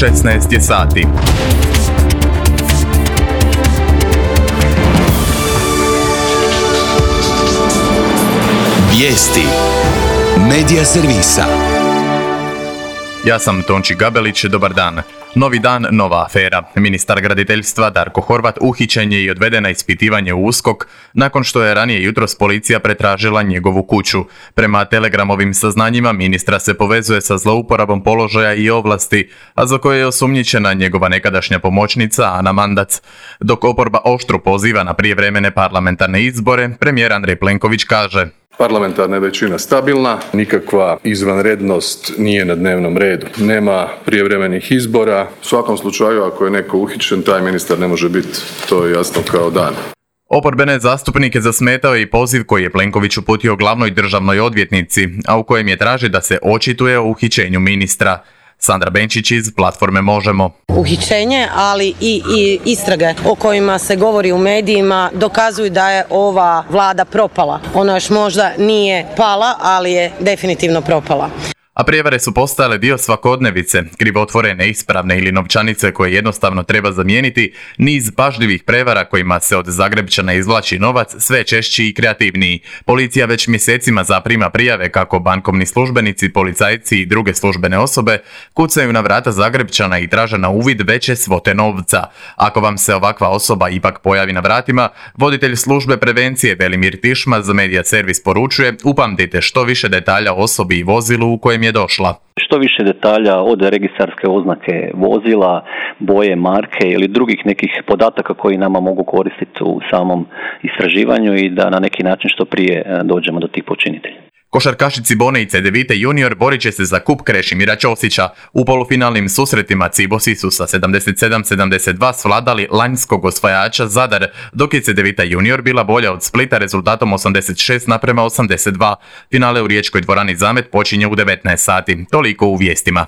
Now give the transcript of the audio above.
16 je sati. Vijesti Medija servisa. Ja sam Tonči Gabelić, dobar dan. Novi dan, nova afera. Ministar graditeljstva Darko Horvat uhićen je i odveden na ispitivanje u USKOK nakon što je ranije jutros policija pretražila njegovu kuću. Prema Telegramovim saznanjima ministra se povezuje sa zlouporabom položaja i ovlasti, a za koje je osumnjičena njegova nekadašnja pomoćnica Ana Mandac. Dok oporba oštro poziva na prijevremene parlamentarne izbore, premijer Andrej Plenković kaže: Parlamentarna je većina stabilna, nikakva izvanrednost nije na dnevnom redu. Nema prijevremenih izbora. U svakom slučaju, ako je neko uhićen, taj ministar ne može biti, to je jasno kao dan. Oporbene zastupnike zasmetao je i poziv koji je Plenković uputio glavnoj državnoj odvjetnici, a u kojem je traži da se očituje o uhićenju ministra. Sandra Benčić iz platforme Možemo. Uhićenje, ali i istrage o kojima se govori u medijima dokazuju da je ova vlada propala. Ona još možda nije pala, ali je definitivno propala. A prijevare su postajale dio svakodnevice, krivotvorene, neispravne ili novčanice koje jednostavno treba zamijeniti, niz pažljivih prevara kojima se od Zagrebčana izvlači novac sve češći i kreativniji. Policija već mjesecima zaprima prijave kako bankovni službenici, policajci i druge službene osobe kucaju na vrata Zagrebčana i traže na uvid veće svote novca. Ako vam se ovakva osoba ipak pojavi na vratima, voditelj službe prevencije Velimir Tišma za Medija servis poručuje: upamtite što više detalja o osobi i vozilu u kojem je došla. Što više detalja od registarske oznake vozila, boje, marke ili drugih nekih podataka koji nama mogu koristiti u samom istraživanju i da na neki način što prije dođemo do tih počinitelja. Košarkašici Cibone i Cedevite junior borit će se za kup Krešimira Ćosića. U polufinalnim susretima Cibosi su sa 77-72 svladali lanjskog osvajača Zadar, dok je Cedevita junior bila bolja od Splita rezultatom 86:82. Finale u riječkoj dvorani Zamet počinje u 19 sati. Toliko u vijestima.